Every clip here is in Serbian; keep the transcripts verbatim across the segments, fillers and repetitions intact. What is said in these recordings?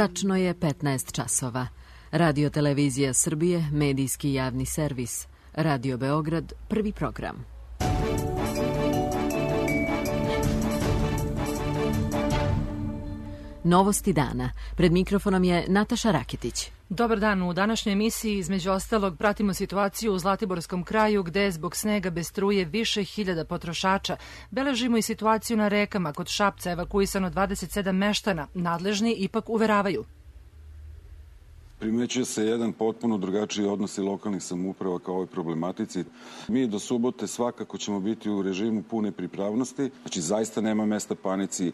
Tačno je petnaest časova. Radio Televizija Srbije, medijski javni servis. Radio Beograd, prvi program. Novosti dana. Pred mikrofonom je Nataša Raketić. Dobar dan. U današnjoj emisiji između ostalog pratimo situaciju u Zlatiborskom kraju gde je zbog snega bez struje više hiljada potrošača. Beležimo i situaciju na rekama. Kod Šapca evakuisano dvadeset sedam meštana. Nadležni ipak uveravaju. Primećuje se jedan potpuno drugačiji odnos i lokalnih samouprava kao ovoj problematici. Mi do subote svakako ćemo biti u režimu pune pripravnosti, znači zaista nema mesta panici.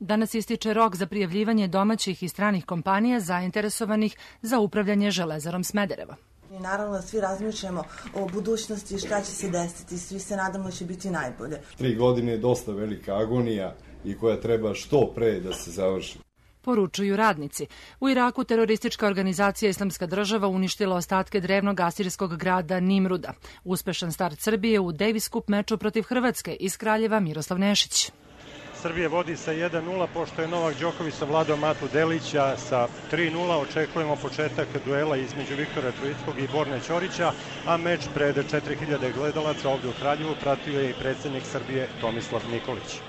Danas ističe rok za prijavljivanje domaćih i stranih kompanija zainteresovanih za upravljanje Železarom Smederevo. I naravno svi razmišljamo o budućnosti i šta će se desiti, svi se nadamo da će biti najbolje. Tri godine je dosta velika agonija i koja treba što pre da se završi. Poručuju radnici. U Iraku teroristička organizacija Islamska država uništila ostatke drevnog asirskog grada Nimruda. Uspešan start Srbije u Davis Cup meču protiv Hrvatske. Iz Kraljeva Miroslav Nešić. Srbije vodi sa jedan nula, pošto je Novak Đoković savladao Matu Delića sa tri nula. Očekujemo početak duela između Viktora Troickog i Borne Ćorića, a meč pred četiri hiljade gledalaca ovdje u Kraljevu pratio je i predsjednik Srbije Tomislav Nikolić.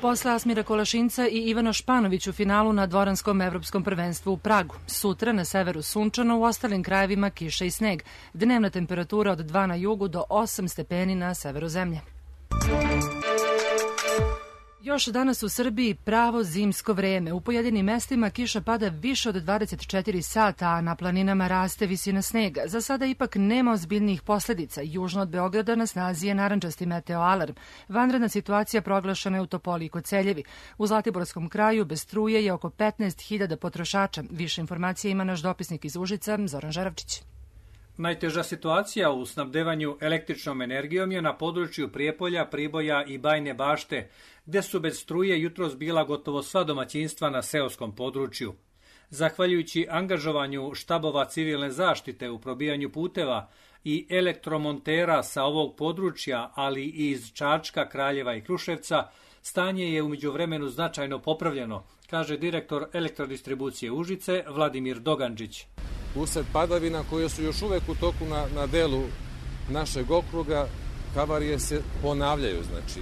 Posle Asmira Kolašinca i Ivana Španović u finalu na dvoranskom evropskom prvenstvu u Pragu. Sutra na severu sunčano, u ostalim krajevima kiša i sneg. Dnevna temperatura od dva na jugu do osam stepeni na severu zemlje. Još danas u Srbiji pravo zimsko vreme. U pojedinim mestima kiša pada više od dvadeset četiri sata, a na planinama raste visina snega. Za sada ipak nema ozbiljnijih posledica. Južno od Beograda na snazi je narandžasti meteoalarm. Vanredna situacija proglašena je u Topoli i Koceljevi. U Zlatiborskom kraju bez struje je oko petnaest hiljada potrošača. Više informacija ima naš dopisnik iz Užica, Zoran Žaravčić. Najteža situacija u snabdevanju električnom energijom je na području Prijepolja, Priboja i Bajne Bašte, gde su bez struje jutros bila gotovo sva domaćinstva na seoskom području. Zahvaljujući angažovanju štabova civilne zaštite u probijanju puteva i elektromontera sa ovog područja, ali i iz Čačka, Kraljeva i Kruševca, stanje je u međuvremenu značajno popravljeno, kaže direktor elektrodistribucije Užice Vladimir Dogandžić. Usled padavina koje su još uvek u toku na, na delu našeg okruga, havarije se ponavljaju. Znači,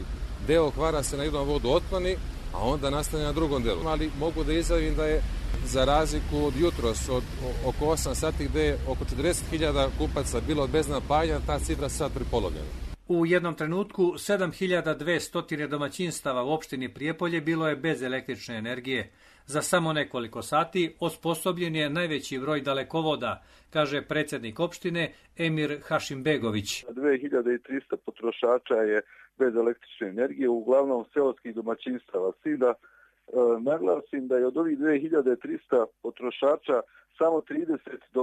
deo kvara se na jednom vodu otkloni, a onda nastane na drugom delu. Ali mogu da izjavim da je za razliku od jutros, od oko osam sati gde je oko četrdeset hiljada kupaca bilo bez napajanja, ta cifra sad prepolovljena. U jednom trenutku sedam hiljada dvesta domaćinstava u opštini Prijepolje bilo je bez električne energije. Za samo nekoliko sati osposobljen je najveći broj dalekovoda, kaže predsjednik opštine Emir Hašimbegović. dve hiljade trista potrošača je bez električne energije, uglavnom seoskih domaćinstava. S tim da e, naglasim da je od ovih dve hiljade trista potrošača samo trideset do,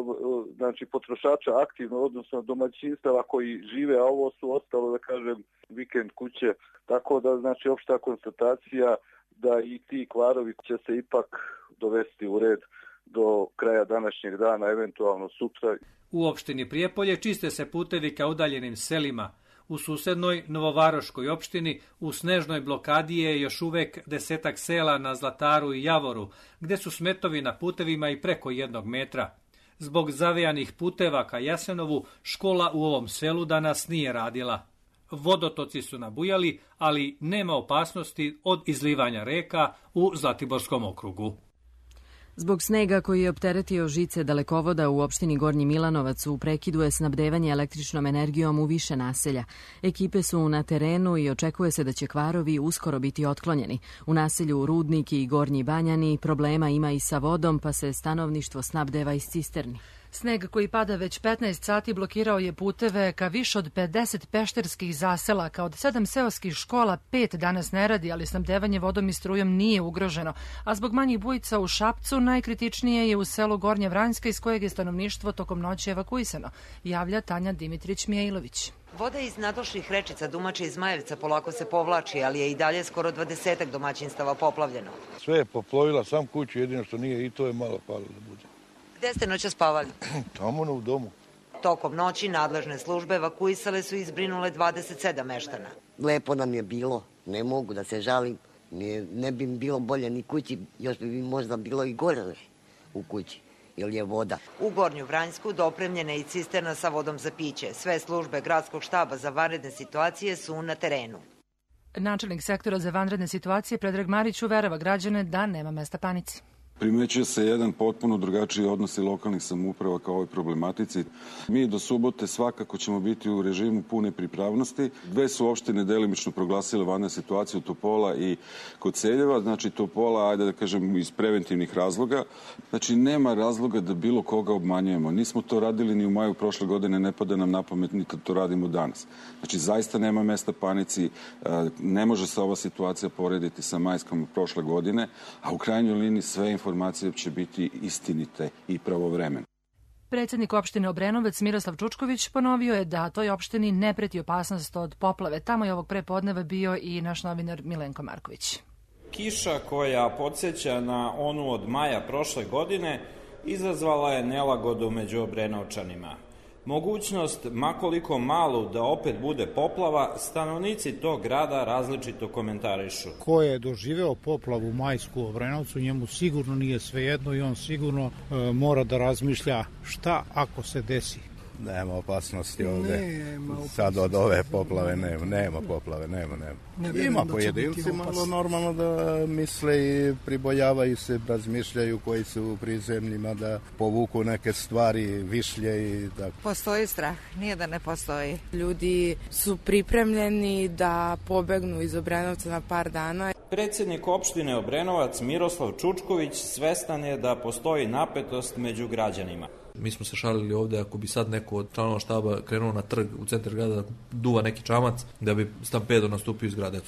znači, potrošača aktivno, odnosno domaćinstava koji žive, a ovo su ostalo, da kažem, vikend kuće. Tako da, znači, opšta konstatacija da i ti kvarovi će se ipak dovesti u red do kraja današnjeg dana, eventualno sutra. U opštini Prijepolje čiste se putevi ka udaljenim selima. U susednoj Novovaroškoj opštini u snežnoj blokadi je još uvek desetak sela na Zlataru i Javoru, gde su smetovi na putevima i preko jednog metra. Zbog zavejanih puteva ka Jasenovu, škola u ovom selu danas nije radila. Vodotoci su nabujali, ali nema opasnosti od izlivanja reka u Zlatiborskom okrugu. Zbog snega koji je opteretio žice dalekovoda u opštini Gornji Milanovac u prekidu je snabdevanje električnom energijom u više naselja. Ekipe su na terenu i očekuje se da će kvarovi uskoro biti otklonjeni. U naselju Rudnik i Gornji Banjani problema ima i sa vodom, pa se stanovništvo snabdeva iz cisterni. Sneg koji pada već petnaest sati blokirao je puteve ka više od pedeset pešterskih zaselaka. Od sedam seoskih škola pet danas ne radi, ali snabdevanje vodom i strujom nije ugroženo. A zbog manjih bujica u Šapcu najkritičnije je u selu Gornja Vranjska iz kojeg je stanovništvo tokom noći evakuisano, javlja Tanja Dimitrić-Mijailović. Voda iz nadošlih rečica Dumače i Zmajevca polako se povlači, ali je i dalje skoro dvadesetak domaćinstava poplavljeno. Sve je poplovila, sam kuću, jedino što nije i to je malo palo da bude. Gde ste noća spavali? Tamo u domu. Tokom noći nadležne službe evakuisale su i izbrinule dvadeset sedam meštana. Lepo nam je bilo, ne mogu da se žalim, ne, ne bi bilo bolje ni kući, još bi možda bilo i gore u kući, jer je voda. U Gornju Vranjsku dopremljena je i cisterna sa vodom za piće. Sve službe gradskog štaba za vanredne situacije su na terenu. Načelnik sektora za vanredne situacije Predrag Marić uverava građane da nema mesta panici. Primećuje se jedan potpuno drugačiji odnos i lokalnih samouprava kao ovoj problematici. Mi do subote svakako ćemo biti u režimu pune pripravnosti. Dve su opštine delimično proglasile vanrednu situaciju, Topola i Koceljeva. Znači Topola, ajde da kažem, iz preventivnih razloga. Znači nema razloga da bilo koga obmanjujemo. Nismo to radili ni u maju prošle godine, ne pada nam na pamet ni kad to radimo danas. Znači zaista nema mesta panici, ne može se ova situacija porediti sa majskom prošle godine, a u krajnjoj liniji sve informacije će biti istinite i pravovremene. Predsednik opštine Obrenovac Miroslav Čučković ponovio je da toj opštini ne preti opasnost od poplave. Tamo je ovog prepodneva bio i naš novinar Milenko Marković. Kiša koja podsjeća na onu od maja prošle godine izazvala je nelagodu među Obrenovčanima. Mogućnost, makoliko malu, da opet bude poplava, stanovnici tog grada različito komentarišu. Ko je doživeo poplavu majsku u Obrenovcu, njemu sigurno nije svejedno i on sigurno e, mora da razmišlja šta ako se desi. Nema opasnosti ovde. Nema opasnosti. Sad od ove poplave nema, nema poplave, nema, nema. Ne Ima pojedinci malo normalno da misle i pribojavaju se, razmišljaju koji su u prizemljima da povuku neke stvari, višlje i tako. Postoji strah, nije da ne postoji. Ljudi su pripremljeni da pobegnu iz Obrenovca na par dana. Predsednik opštine Obrenovac Miroslav Čučković svestan je da postoji napetost među građanima. Mi smo se šalili ovde, ako bi sad neko od članova štaba krenuo na trg u centar grada da duva neki čamac, da bi stampedo nastupio iz grada.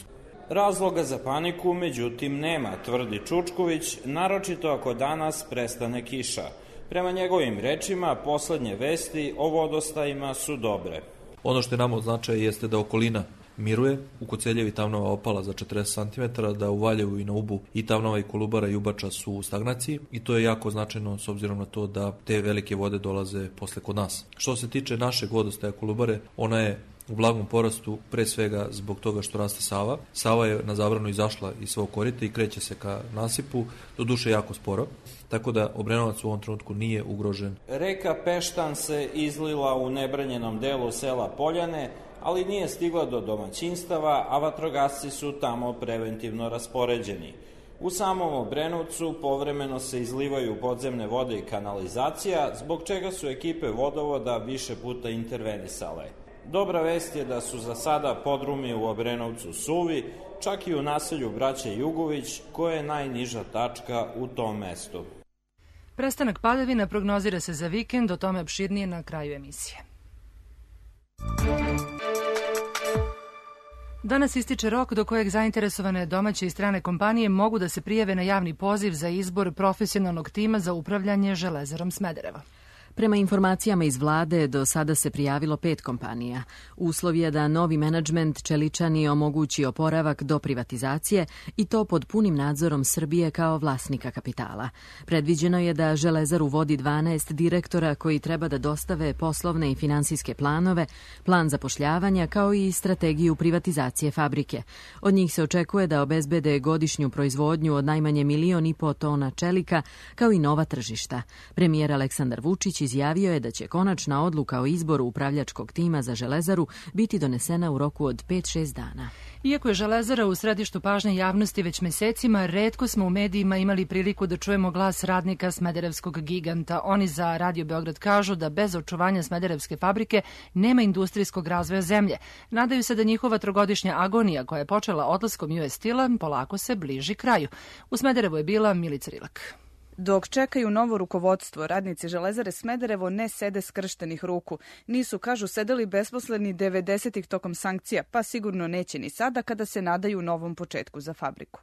Razloga za paniku, međutim, nema, tvrdi Čučković, naročito ako danas prestane kiša. Prema njegovim rečima, poslednje vesti o vodostajima su dobre. Ono što je nama od značaja jeste da okolina miruje, u Koceljevi Tamnava opala za četrdeset centimetara, da u Valjevu i na Ubu i Tamnava i Kolubara i Ubača su u stagnaciji i to je jako značajno s obzirom na to da te velike vode dolaze posle kod nas. Što se tiče našeg vodostaja Kolubare, ona je u blagom porastu pre svega zbog toga što raste Sava. Sava je na zabranu izašla iz svog korita i kreće se ka nasipu, do duše jako sporo, tako da Obrenovac u ovom trenutku nije ugrožen. Reka Peštan se izlila u nebranjenom delu sela Poljane, ali nije stigla do domaćinstava, a vatrogasci su tamo preventivno raspoređeni. U samom Obrenovcu povremeno se izlivaju podzemne vode i kanalizacija, zbog čega su ekipe vodovoda više puta intervenisale. Dobra vest je da su za sada podrumi u Obrenovcu suvi, čak i u naselju braće Jugović, koja je najniža tačka u tom mestu. Prestanak padavina prognozira se za vikend, o tome opširnije na kraju emisije. Danas ističe rok do kojeg zainteresovane domaće i strane kompanije mogu da se prijave na javni poziv za izbor profesionalnog tima za upravljanje Železarom Smederevo. Prema informacijama iz vlade, do sada se prijavilo pet kompanija. Uslov je da novi menadžment Čeličani omogući oporavak do privatizacije i to pod punim nadzorom Srbije kao vlasnika kapitala. Predviđeno je da Železaru vodi dvanaest direktora koji treba da dostave poslovne i finansijske planove, plan zapošljavanja kao i strategiju privatizacije fabrike. Od njih se očekuje da obezbede godišnju proizvodnju od najmanje milion i po tona čelika kao i nova tržišta. Premijer Aleksandar Vučić izjavio je da će konačna odluka o izboru upravljačkog tima za Železaru biti donesena u roku od pet do šest dana. Iako je Železara u središtu pažnje javnosti već mesecima, retko smo u medijima imali priliku da čujemo glas radnika smederevskog giganta. Oni za Radio Beograd kažu da bez očuvanja smederevske fabrike nema industrijskog razvoja zemlje. Nadaju se da njihova trogodišnja agonija koja je počela odlaskom U S Steel-a polako se bliži kraju. U Smederevu je bila Milica Rilak. Dok čekaju novo rukovodstvo, radnici Železare Smederevo ne sede skrštenih ruku. Nisu, kažu, sedeli besposleni devedesetih tokom sankcija, pa sigurno neće ni sada kada se nadaju novom početku za fabriku.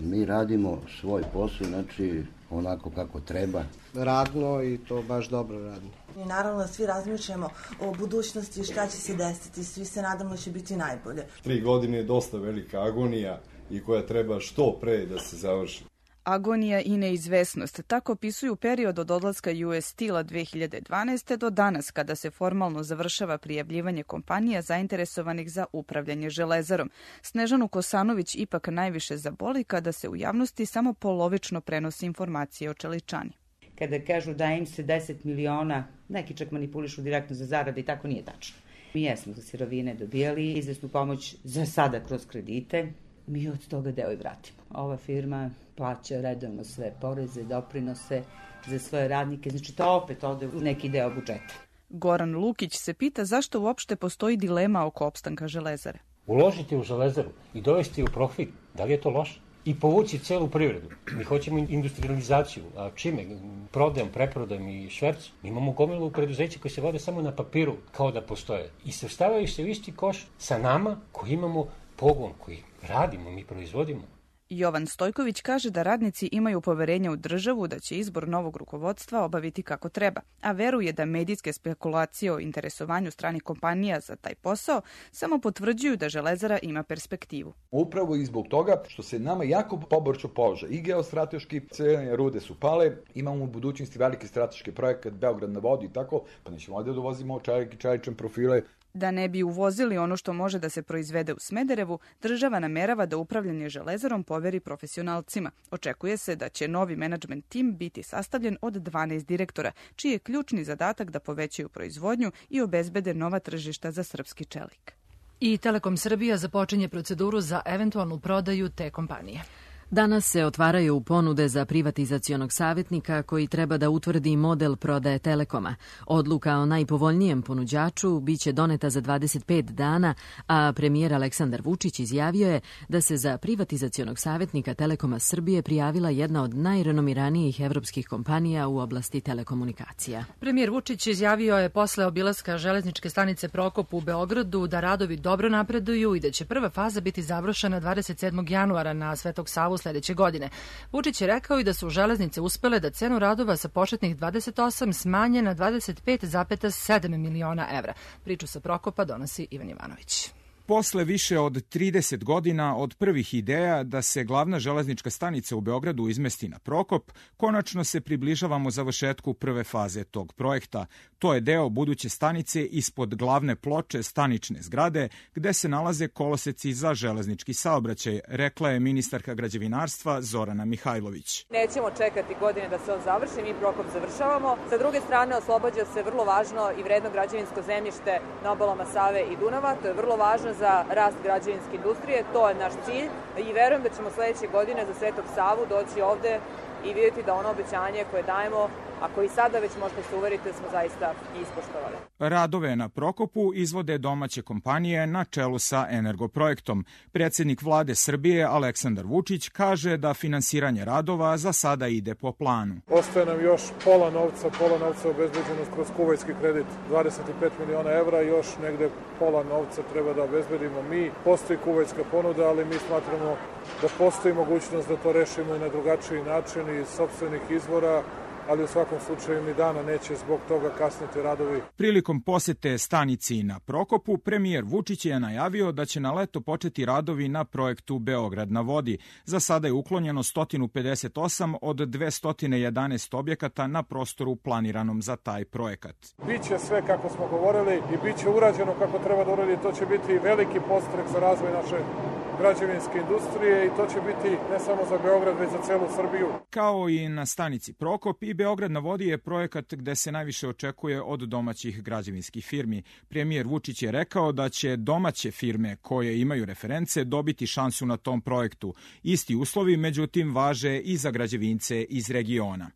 Mi radimo svoj posao, znači onako kako treba. Radno i to baš dobro radno. I naravno svi razmišljamo o budućnosti, šta će se desiti, svi se nadamo da će biti najbolje. Tri godine je dosta velika agonija i koja treba što pre da se završi. Agonija i neizvesnost. Tako opisuju period od odlaska U S Steel-a dve hiljade dvanaeste. do danas, kada se formalno završava prijavljivanje kompanija zainteresovanih za upravljanje Železarom. Snežanu Kosanović ipak najviše zaboli kada se u javnosti samo polovično prenosi informacije o Čeličani. kada kažu da im se deset miliona, neki čak manipulišu direktno za zarade i tako nije tačno. Mi jesmo za sirovine dobijali izvesnu pomoć za sada kroz kredite, mi od toga deo i vratimo. Ova firma plaća redovno sve poreze, doprinose za svoje radnike, znači to opet ode u neki deo budžeta. Goran Lukić se pita zašto uopšte postoji dilema oko opstanka Železare. Uložiti u Železaru i dovesti u profit, da li je to loše? I povući celu privredu. Mi hoćemo industrializaciju, a čime? Prodajom, preprodajom i švercom. Mi imamo gomilu preduzeća koje se vode samo na papiru, kao da postoje. I svrstavaju se u isti koš sa nama koji imamo pogon, koji radimo, mi proizvodimo. Jovan Stojković kaže da radnici imaju poverenja u državu da će izbor novog rukovodstva obaviti kako treba, a veruje da medijske spekulacije o interesovanju stranih kompanija za taj posao samo potvrđuju da Železara ima perspektivu. Upravo i zbog toga što se nama jako poboljšao položaj i geostrateški, cene rude su pale, imamo u budućnosti veliki strateški projekat Beograd na vodi i tako, pa nećemo ovdje da uvozimo čelik i čelične profile. Da ne bi uvozili ono što može da se proizvede u Smederevu, država namerava da upravljanje Železarom poveri profesionalcima. Očekuje se da će novi menadžment tim biti sastavljen od dvanaest direktora, čiji je ključni zadatak da povećaju proizvodnju i obezbede nova tržišta za srpski čelik. I Telekom Srbija započinje proceduru za eventualnu prodaju te kompanije. Danas se otvaraju ponude za privatizacionog savjetnika koji treba da utvrdi model prodaje Telekoma. Odluka o najpovoljnijem ponuđaču biće doneta za dvadeset pet dana, a premijer Aleksandar Vučić izjavio je da se za privatizacionog savjetnika Telekoma Srbije prijavila jedna od najrenomiranijih evropskih kompanija u oblasti telekomunikacija. Premijer Vučić izjavio je posle obilaska železničke stanice Prokop u Beogradu da radovi dobro napreduju i da će prva faza biti završena dvadeset sedmog januara na Svetog Savu sljedeće godine. Vučić je rekao i da su železnice uspele da cenu radova sa početnih dvadeset osam smanje na dvadeset pet zarez sedam miliona evra. Priču sa Prokopa donosi Ivan Ivanović. Posle više od trideset godina od prvih ideja da se glavna železnička stanica u Beogradu izmesti na Prokop, konačno se približavamo završetku prve faze tog projekta. To je deo buduće stanice ispod glavne ploče stanične zgrade, gde se nalaze koloseci za železnički saobraćaj, rekla je ministarka građevinarstva Zorana Mihajlović. Nećemo čekati godine da se on završi, mi Prokop završavamo. Sa druge strane, oslobađa se vrlo važno i vredno građevinsko zemljište na obalama Save i Dunava. To je vrlo važno za rast građevinske industrije, to je naš cilj i verujem da ćemo sledeće godine za Svetog Savu doći ovde i vidjeti da ono obećanje koje dajemo, a koji sada već možete se uveriti, smo zaista ispoštovali. Radove na Prokopu izvode domaće kompanije na čelu sa Energoprojektom. Predsjednik vlade Srbije Aleksandar Vučić kaže da finansiranje radova za sada ide po planu. Ostaje nam još pola novca, pola novca obezbeđeno kroz kuvajski kredit, dvadeset pet miliona evra, još negde pola novca treba da obezbedimo mi. Postoji kuvajska ponuda, ali mi smatramo da postoji mogućnost da to rešimo i na drugačiji način iz sopstvenih izvora, ali u svakom slučaju ni dana neće zbog toga kasniti radovi. Prilikom posete stanici na Prokopu, premijer Vučić je najavio da će na leto početi radovi na projektu Beograd na vodi. Za sada je uklonjeno sto pedeset osam od dvesta jedanaest objekata na prostoru planiranom za taj projekat. Biće sve kako smo govorili i biće urađeno kako treba da uradi. To će biti veliki podstrek za razvoj naše građevinske industrije i to će biti ne samo za Beograd, već za celu Srbiju. Kao i na stanici Prokop, i Beograd na vodi je projekat gde se najviše očekuje od domaćih građevinskih firmi. Premijer Vučić je rekao da će domaće firme koje imaju reference dobiti šansu na tom projektu. Isti uslovi, međutim, važe i za građevince iz regiona.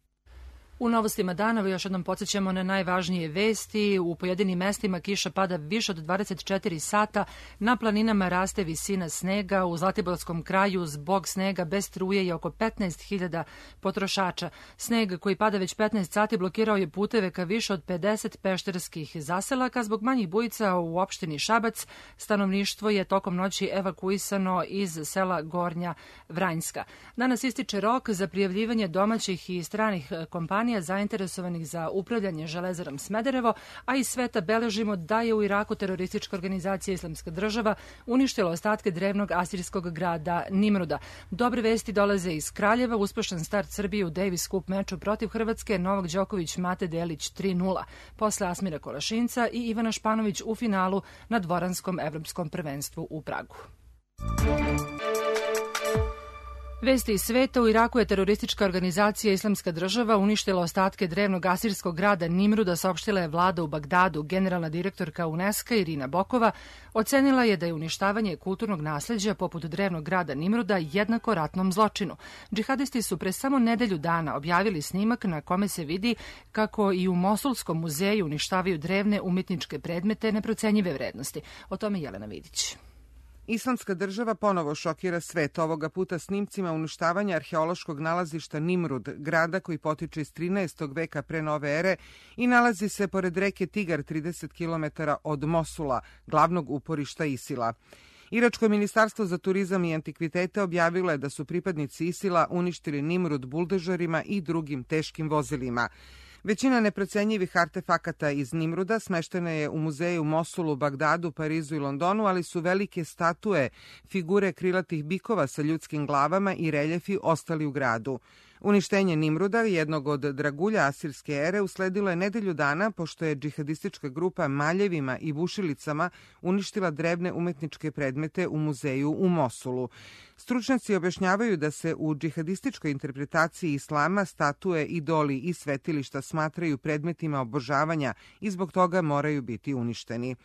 U novostima dana još jednom podsjećamo na najvažnije vesti. U pojedinim mestima kiša pada više od dvadeset četiri sata, na planinama raste visina snega, u Zlatiborskom kraju zbog snega bez struje je oko petnaest hiljada potrošača. Sneg koji pada već petnaest sati blokirao je puteve ka više od pedeset pešterskih zaselaka. Zbog manjih bujica u opštini Šabac stanovništvo je tokom noći evakuisano iz sela Gornja Vranjska. Danas ističe rok za prijavljivanje domaćih i stranih kompanija zainteresovanih za upravljanje Železarom Smederevo, a iz sveta beležimo da je u Iraku teroristička organizacija Islamska država uništila ostatke drevnog asirijskog grada Nimruda. Dobre vesti dolaze iz Kraljeva, uspešan start Srbije u Davis Cup meču protiv Hrvatske, Novak Đoković, Mate Delić tri nula. Posle Asmira Kolašinca i Ivana Španović u finalu na dvoranskom evropskom prvenstvu u Pragu. Vesti iz sveta. U Iraku je teroristička organizacija Islamska država uništila ostatke drevnog asirskog grada Nimruda, saopštila je vlada u Bagdadu. Generalna direktorka UNESCO Irina Bokova ocenila je da je uništavanje kulturnog nasleđa poput drevnog grada Nimruda jednako ratnom zločinu. Džihadisti su pre samo nedelju dana objavili snimak na kome se vidi kako i u Mosulskom muzeju uništavaju drevne umetničke predmete neprocenjive vrednosti. O tome Jelena Vidić. Islamska država ponovo šokira svet, ovoga puta snimcima uništavanja arheološkog nalazišta Nimrud, grada koji potiče iz trinaestog veka pre nove ere i nalazi se pored reke Tigar trideset kilometara od Mosula, glavnog uporišta Isila. Iračko ministarstvo za turizam i antikvitete objavilo je da su pripadnici Isila uništili Nimrud buldežerima i drugim teškim vozilima. Većina neprocenjivih artefakata iz Nimruda smeštena je u muzeju Mosulu, Bagdadu, Parizu i Londonu, ali su velike statue, figure krilatih bikova sa ljudskim glavama i reljefi ostali u gradu. Uništenje Nimruda, jednog od dragulja asirske ere, usledilo je nedelju dana pošto je džihadistička grupa maljevima i bušilicama uništila drevne umetničke predmete u muzeju u Mosulu. Stručnjaci objašnjavaju da se u džihadističkoj interpretaciji islama statue, idoli i svetilišta smatraju predmetima obožavanja i zbog toga moraju biti uništeni.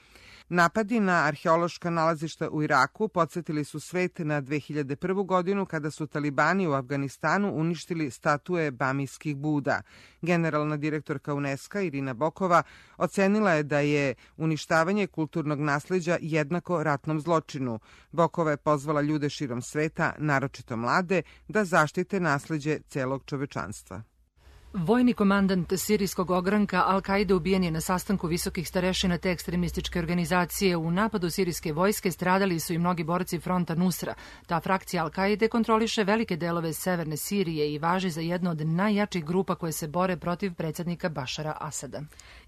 Napadi na arheološka nalazišta u Iraku podsjetili su svet na dve hiljade prvu godinu kada su talibani u Afganistanu uništili statue bamijskih Buda. Generalna direktorka UNESCO Irina Bokova ocenila je da je uništavanje kulturnog nasleđa jednako ratnom zločinu. Bokova je pozvala ljude širom sveta, naročito mlade, da zaštite nasleđe celog čovečanstva. Vojni komandant sirijskog ogranka Al-Kaide ubijen je na sastanku visokih starešina te ekstremističke organizacije. U napadu sirijske vojske stradali su i mnogi borci fronta Nusra. Ta frakcija Al-Kaide kontroliše velike delove severne Sirije i važi za jednu od najjačih grupa koje se bore protiv predsjednika Bašara Asada.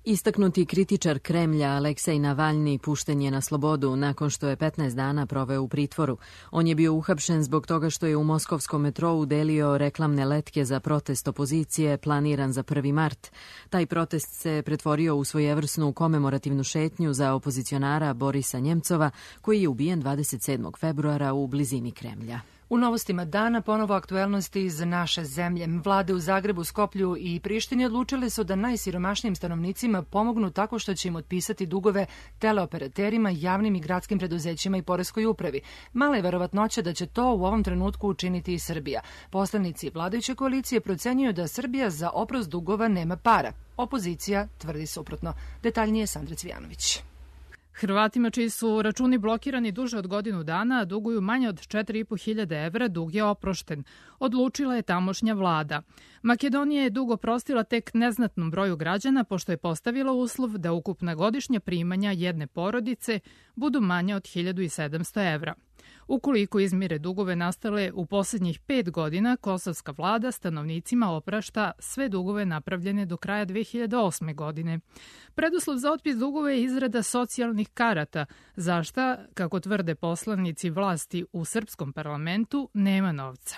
Istaknuti kritičar Kremlja Aleksej Navalni pušten je na slobodu nakon što je petnaest dana proveo u pritvoru. On je bio uhapšen zbog toga što je u moskovskom metrou delio reklamne letke za protest opozicije planiran za prvi mart. Taj protest se pretvorio u svojevrsnu komemorativnu šetnju za opozicionara Borisa Njemcova, koji je ubijen dvadeset sedmog februara u blizini Kremlja. U novostima dana ponovo aktuelnosti iz naše zemlje. Vlade u Zagrebu, Skoplju i Prištini odlučile su da najsiromašnijim stanovnicima pomognu tako što će im otpisati dugove teleoperaterima, javnim i gradskim preduzećima i poreskoj upravi. Mala je verovatnoća da će to u ovom trenutku učiniti i Srbija. Poslanici vladajuće koalicije procenjuju da Srbija za oprost dugova nema para. Opozicija tvrdi suprotno. Detaljnije Sandra Cvijanović. Hrvatima čiji su računi blokirani duže od godinu dana, duguju manje od četiri i po hiljade evra, dug je oprošten. Odlučila je tamošnja vlada. Makedonija je dug oprostila tek neznatnom broju građana, pošto je postavila uslov da ukupna godišnja primanja jedne porodice budu manje od hiljadu sedamsto evra. Ukoliko izmire dugove nastale u posljednjih pet godina, kosovska vlada stanovnicima oprašta sve dugove napravljene do kraja dve hiljade osme. godine. Preduslov za otpis dugova je izrada socijalnih karata, za šta, kako tvrde poslanici vlasti u srpskom parlamentu, nema novca.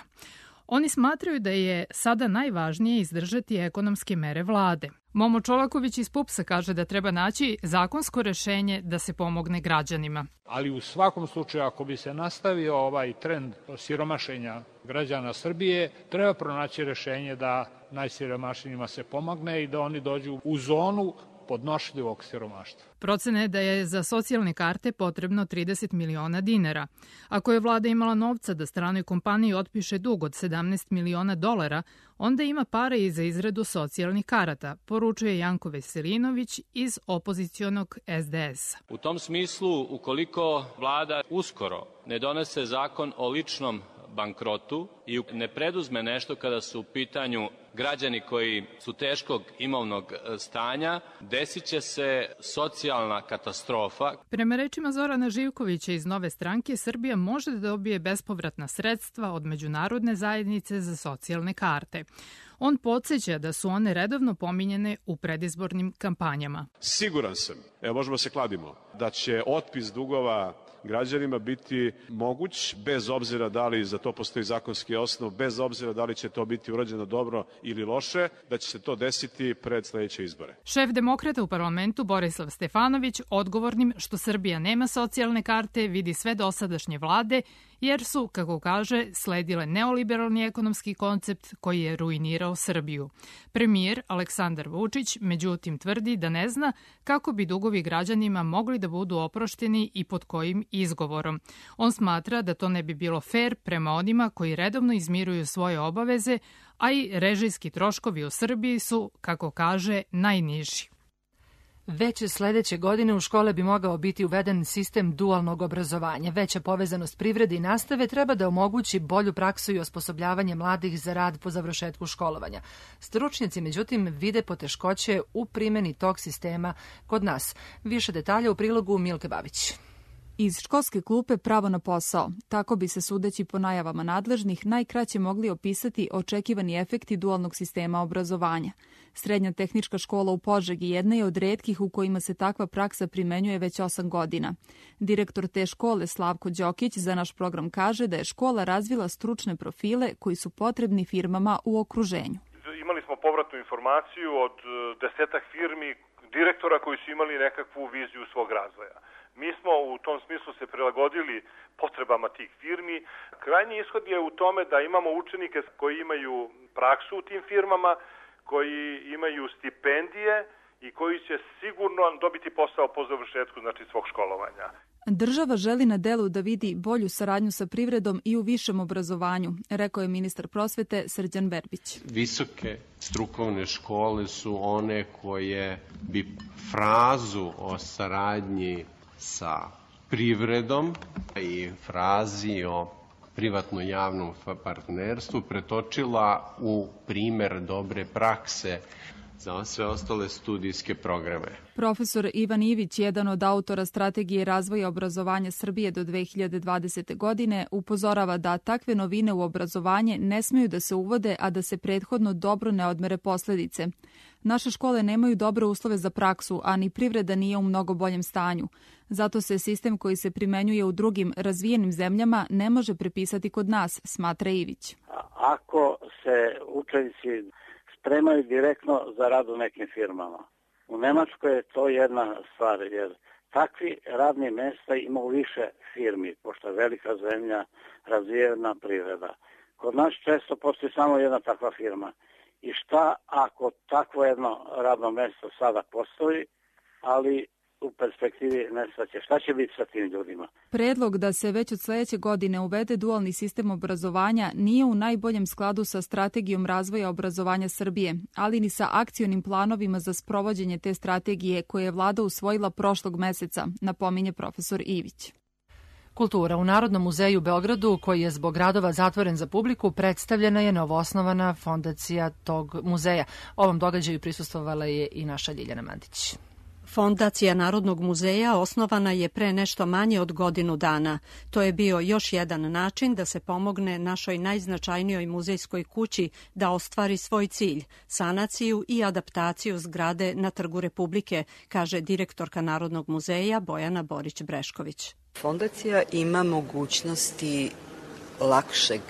Oni smatraju da je sada najvažnije izdržati ekonomske mere vlade. Momo Čolaković iz Pupsa kaže da treba naći zakonsko rešenje da se pomogne građanima. Ali u svakom slučaju, ako bi se nastavio ovaj trend siromašenja građana Srbije, treba pronaći rešenje da najsiromašnijima se pomogne i da oni dođu u zonu podnošljivog siromaštva. Procene je da je za socijalne karte potrebno trideset miliona dinara. Ako je vlada imala novca da stranoj kompaniji otpiše dug od sedamnaest miliona dolara, onda ima pare i za izradu socijalnih karata, poručuje Janko Veselinović iz opozicionog es de es a. U tom smislu, ukoliko vlada uskoro ne donese zakon o ličnom bankrotu i ne preduzme nešto kada su u pitanju građani koji su teškog imovnog stanja, desit će se socijalna katastrofa. Prema rečima Zorana Živkovića iz Nove stranke, Srbija može da dobije bespovratna sredstva od međunarodne zajednice za socijalne karte. On podsjeća da su one redovno pominjene u predizbornim kampanjama. Siguran sam, evo možemo se kladimo, da će otpis dugova građanima biti moguć, bez obzira da li za to postoji zakonski osnov, bez obzira da li će to biti urađeno dobro ili loše, da će se to desiti pred sledeće izbore. Šef demokrata u parlamentu Borislav Stefanović odgovornim što Srbija nema socijalne karte vidi sve dosadašnje vlade jer su, kako kaže, sledile neoliberalni ekonomski koncept koji je ruinirao Srbiju. Premijer Aleksandar Vučić, međutim, tvrdi da ne zna kako bi dugovi građanima mogli da budu oprošteni i pod kojim izgovorom. On smatra da to ne bi bilo fer prema onima koji redovno izmiruju svoje obaveze, a i režijski troškovi u Srbiji su, kako kaže, najniži. Već sledeće godine u škole bi mogao biti uveden sistem dualnog obrazovanja. Veća povezanost privrede i nastave treba da omogući bolju praksu i osposobljavanje mladih za rad po završetku školovanja. Stručnjaci, međutim, vide poteškoće u primjeni tog sistema kod nas. Više detalja u prilogu Milke Babić. Iz školske klupe pravo na posao. Tako bi se, sudeći po najavama nadležnih, najkraće mogli opisati očekivani efekti dualnog sistema obrazovanja. Srednja tehnička škola u Požegi jedna je od retkih u kojima se takva praksa primenjuje već osam godina. Direktor te škole Slavko Đokić za naš program kaže da je škola razvila stručne profile koji su potrebni firmama u okruženju. Imali smo povratnu informaciju od desetak firmi, direktora koji su imali nekakvu viziju svog razvoja. Mi smo u tom smislu se prilagodili potrebama tih firmi. Krajnji ishod je u tome da imamo učenike koji imaju praksu u tim firmama, koji imaju stipendije i koji će sigurno dobiti posao po završetku, znači, svog školovanja. Država želi na delu da vidi bolju saradnju sa privredom i u višem obrazovanju, rekao je ministar prosvete Srđan Verbić. Visoke strukovne škole su one koje bi frazu o saradnji sa privredom i frazi o privatno-javnom partnerstvu pretočila u primer dobre prakse za sve ostale studijske programe. Profesor Ivan Ivić, jedan od autora Strategije razvoja obrazovanja Srbije do dve hiljade dvadesete. godine, upozorava da takve novine u obrazovanje ne smeju da se uvode, a da se prethodno dobro ne odmere posledice. Naše škole nemaju dobre uslove za praksu, a ni privreda nije u mnogo boljem stanju. Zato se sistem koji se primenjuje u drugim razvijenim zemljama ne može prepisati kod nas, smatra Ivić. Ako se učenici spremaju direktno za rad u nekim firmama, u Nemačkoj je to jedna stvar, jer takvi radni mesta ima u više firmi, pošto je velika zemlja, razvijena privreda. Kod nas često postoji samo jedna takva firma. I šta ako takvo jedno radno mesto sada postoji, ali u perspektivi nestaće? Šta će biti sa tim ljudima? Predlog da se već od sledeće godine uvede dualni sistem obrazovanja nije u najboljem skladu sa Strategijom razvoja obrazovanja Srbije, ali ni sa akcionim planovima za sprovođenje te strategije koje je vlada usvojila prošlog meseca, napominje profesor Ivić. Kultura. U Narodnom muzeju u Beogradu, koji je zbog radova zatvoren za publiku, predstavljena je novoosnovana fondacija tog muzeja. Ovom događaju prisustvovala je i naša Ljiljana Mandić. Fondacija Narodnog muzeja osnovana je pre nešto manje od godinu dana. To je bio još jedan način da se pomogne našoj najznačajnijoj muzejskoj kući da ostvari svoj cilj, sanaciju i adaptaciju zgrade na Trgu Republike, kaže direktorka Narodnog muzeja Bojana Borić-Brešković. Fondacija ima mogućnosti lakšeg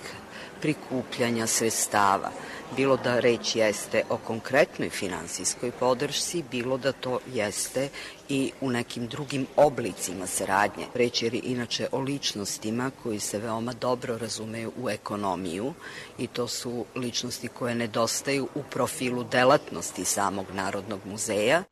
prikupljanja sredstava, bilo da reč jeste o konkretnoj finansijskoj podršci, bilo da to jeste i u nekim drugim oblicima saradnje. Reč je inače o ličnostima koji se veoma dobro razumeju u ekonomiju i to su ličnosti koje nedostaju u profilu delatnosti samog Narodnog muzeja.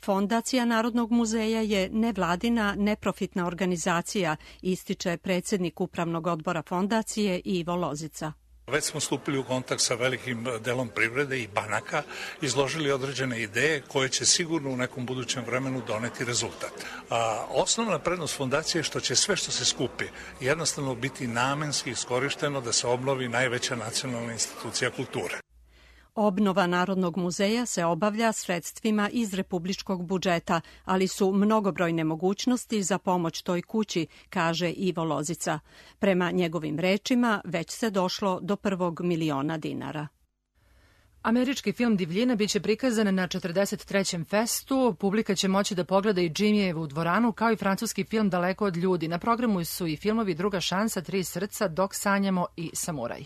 Fondacija Narodnog muzeja je nevladina, neprofitna organizacija, ističe predsjednik Upravnog odbora fondacije Ivo Lozica. Već smo stupili u kontakt sa velikim delom privrede i banaka, izložili određene ideje koje će sigurno u nekom budućem vremenu doneti rezultat. A osnovna prednost fondacije je što će sve što se skupi jednostavno biti namenski iskorišteno da se obnovi najveća nacionalna institucija kulture. Obnova Narodnog muzeja se obavlja sredstvima iz republičkog budžeta, ali su mnogobrojne mogućnosti za pomoć toj kući, kaže Ivo Lozica. Prema njegovim rečima, već se došlo do prvog miliona dinara. Američki film Divljina biće prikazan na četrdeset trećem festu. Publika će moći da pogleda i Džimijevu dvoranu, kao i francuski film Daleko od ljudi. Na programu su i filmovi Druga šansa, Tri srca, Dok sanjamo i Samuraj.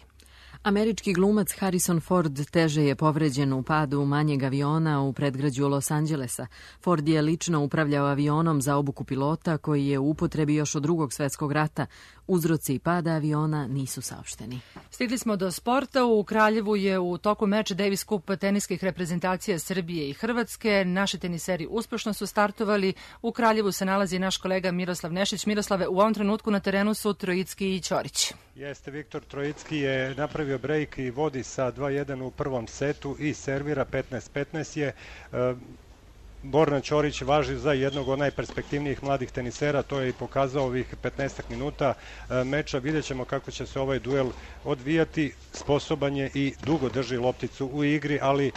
Američki glumac Harrison Ford teže je povređen u padu manjeg aviona u predgrađu Los Angelesa. Ford je lično upravljao avionom za obuku pilota koji je u upotrebi još od drugog svetskog rata. Uzroci pada aviona nisu saopšteni. Stigli smo do sporta. U Kraljevu je u toku meča Davis Cup teniskih reprezentacija Srbije i Hrvatske. Naši teniseri uspešno su startovali. U Kraljevu se nalazi naš kolega Miroslav Nešić. Miroslave, u ovom trenutku na terenu su Trojicki i Ćorić. Jeste, Viktor Trojicki je napravio brejk i vodi sa dva jedan u prvom setu i servira petnaest petnaest je. Borna Ćorić važi za jednog od najperspektivnijih mladih tenisera, to je i pokazao ovih petnaest minuta meča. Vidjet ćemo kako će se ovaj duel odvijati. Sposoban je i dugo drži lopticu u igri, ali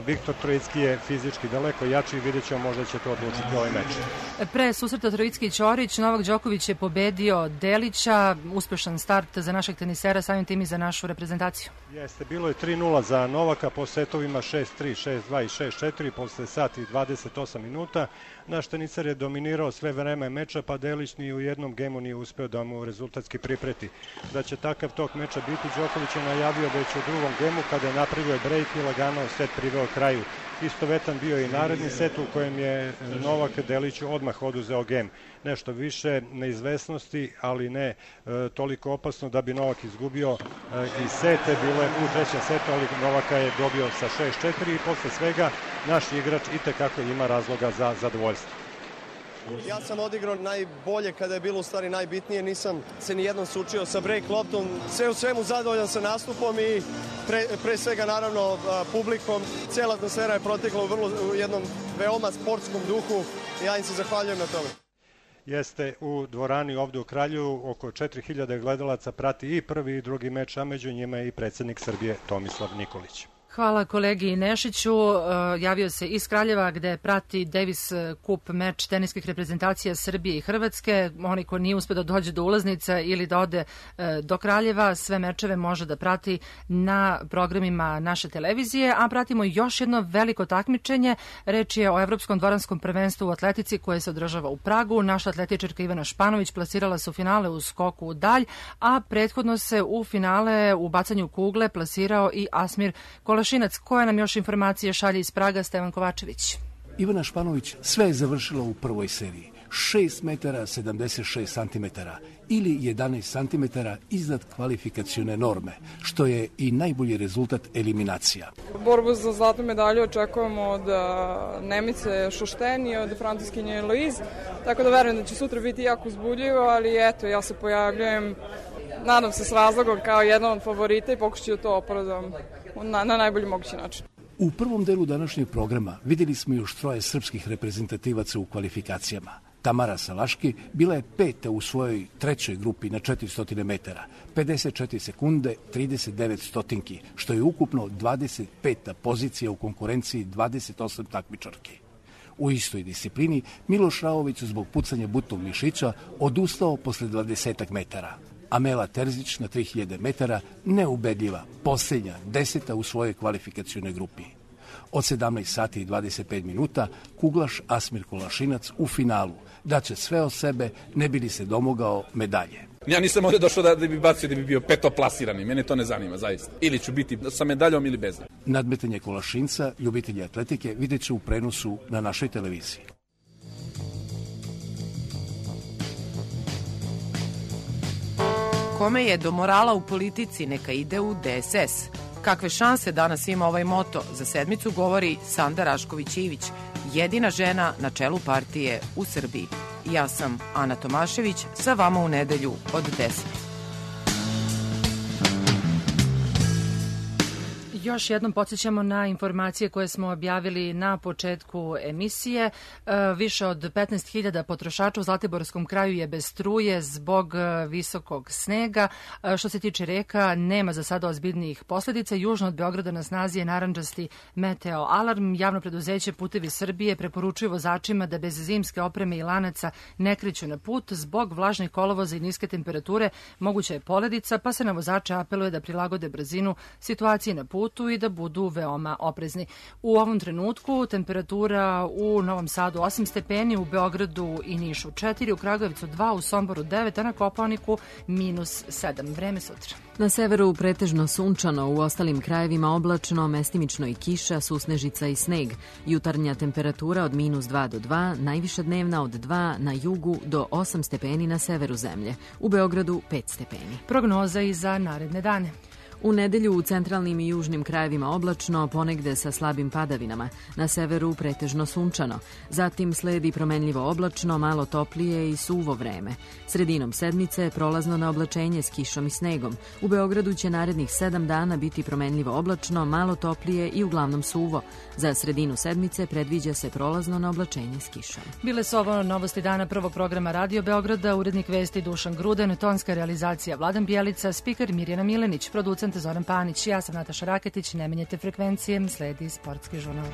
Viktor Trojicki je fizički daleko jači i vidjet ćemo, možda će to odlučiti ovaj meč. Pre susreta Trojicki i Ćorić, Novak Đoković je pobedio Delića. Uspešan start za našeg tenisera, samim tim i za našu reprezentaciju. Jeste, bilo je tri nula za Novaka po setovima šest tri, šest dva i šest četiri posle sat i dvadeset osam minuta. Naš teniser je dominirao sve vreme meča, pa Delić ni u jednom gemu nije uspeo da mu rezultatski pripreti. Da će takav tok meča biti, Đoković je najavio već u drugom gemu kada je napravio brejk i lagano set priveo kraju. Istovetan bio i naredni set u kojem je Novak Deliću odmah oduzeo gem. Nešto više neizvesnosti, ali ne e, toliko opasno da bi Novak izgubio e, i sete bile u trećem setu, ali Novaka je dobio sa šest četiri i posle svega naš igrač itekako ima razloga za zadovoljstvo. Ja sam odigrao najbolje kada je bilo u stvari najbitnije, nisam se nijednom sučio sa break loptom, sve u svemu zadovoljan sa nastupom i pre, pre svega naravno publikom. Cijela atmosfera je protekla u, vrlo, u jednom veoma sportskom duhu i ja im se zahvaljujem na tome. Jeste, u dvorani ovde u Kraljevu oko četiri hiljade gledalaca prati i prvi i drugi meč, a među njima je i predsjednik Srbije Tomislav Nikolić. Hvala kolegi Nešiću. Javio se iz Kraljeva gde prati Davis Cup meč teniskih reprezentacija Srbije i Hrvatske. Oni ko nije uspio da dođe do ulaznica ili da ode do Kraljeva, sve mečeve može da prati na programima naše televizije, a pratimo još jedno veliko takmičenje. Reč je o Evropskom dvoranskom prvenstvu u atletici koje se održava u Pragu. Naša atletičarka Ivana Španović plasirala se u finale u skoku u dalj, a prethodno se u finale u bacanju kugle plasirao i Asmir Kolašinac. Koje nam još informacije šalje iz Praga Stevan Kovačević? Ivana Španović sve je završila u prvoj seriji. šest metara sedamdeset šest santimetara ili jedanaest santimetara iznad kvalifikacione norme, što je i najbolji rezultat eliminacija. Borbu za zlatnu medalju očekujemo od Nemice Šošten i od Francuskinje Louise, tako da verujem da će sutra biti jako uzbudljivo, ali eto, ja se pojavljujem, nadam se s razlogom, kao jedan od favorita i pokušću to opravdam na, na najbolji mogući način. U prvom delu današnjeg programa vidjeli smo još troje srpskih reprezentativaca u kvalifikacijama. Tamara Salaški bila je peta u svojoj trećoj grupi na četiristo metara, pedeset četiri sekunde, trideset devet stotinki, što je ukupno dvadeset peta pozicija u konkurenciji dvadeset osam takmičarki. U istoj disciplini Miloš Raović zbog pucanja butnog mišića odustao posle dvadesetak metara. Amela Terzić na tri hiljade metara neubedljiva, posljednja, deseta u svojoj kvalifikacionoj grupi. Od sedamnaest sati i dvadeset pet minuta kuglaš Asmir Kolašinac u finalu daće sve od sebe ne bi li se domogao medalje. Ja nisam ovdje došao da, da bi bacio da bi bio petoplasirani, mene to ne zanima zaista. Ili ću biti sa medaljom ili bez. Nadmetanje Kolašinca, ljubitelji atletike, vidjet će u prenosu na našoj televiziji. Kome je do morala u politici, neka ide u D S S. Kakve šanse danas ima ovaj moto, za sedmicu govori Sanda Rašković-Ivić, jedina žena na čelu partije u Srbiji. Ja sam Ana Tomašević, sa vama u nedelju od deset. Još jednom podsjećamo na informacije koje smo objavili na početku emisije. Više od petnaest hiljada potrošača u Zlatiborskom kraju je bez struje zbog visokog snega. Što se tiče reka, nema za sada ozbiljnijih posledica. Južno od Beograda na snazi je narandžasti meteo alarm. Javno preduzeće Putevi Srbije preporučuju vozačima da bez zimske opreme i lanaca ne kreću na put. Zbog vlažnih kolovoza i niske temperature moguća je poledica, pa se na vozače apeluje da prilagode brzinu situaciji na putu putu i da budu veoma oprezni. U ovom trenutku temperatura u Novom Sadu osam stepeni, u Beogradu i Nišu četiri, u Kragujevcu dva, u Somboru devet, a na Kopaoniku minus sedam. Vreme sutra. Na severu pretežno sunčano, u ostalim krajevima oblačno, mestimično i kiša, susnežica i sneg. Jutarnja temperatura od minus dva do dva, najviša dnevna od dva na jugu do osam stepeni na severu zemlje. U Beogradu pet stepeni. Prognoza i za naredne dane. U nedelju u centralnim i južnim krajevima oblačno, ponegde sa slabim padavinama. Na severu pretežno sunčano. Zatim sledi promenljivo oblačno, malo toplije i suvo vreme. Sredinom sedmice prolazno na oblačenje s kišom i snegom. U Beogradu će narednih sedam dana biti promenljivo oblačno, malo toplije i uglavnom suvo. Za sredinu sedmice predviđa se prolazno na oblačenje s kišom. Bile su ovo novosti dana prvog programa Radio Beograda, urednik vesti Dušan Gruden, tonska realizacija Vladan Bjelica, spiker Mirjana Milenić, producent Zoran Panić. Ja sam Nataša Raketić, ne menjete frekvencije, sledi sportski žurnal.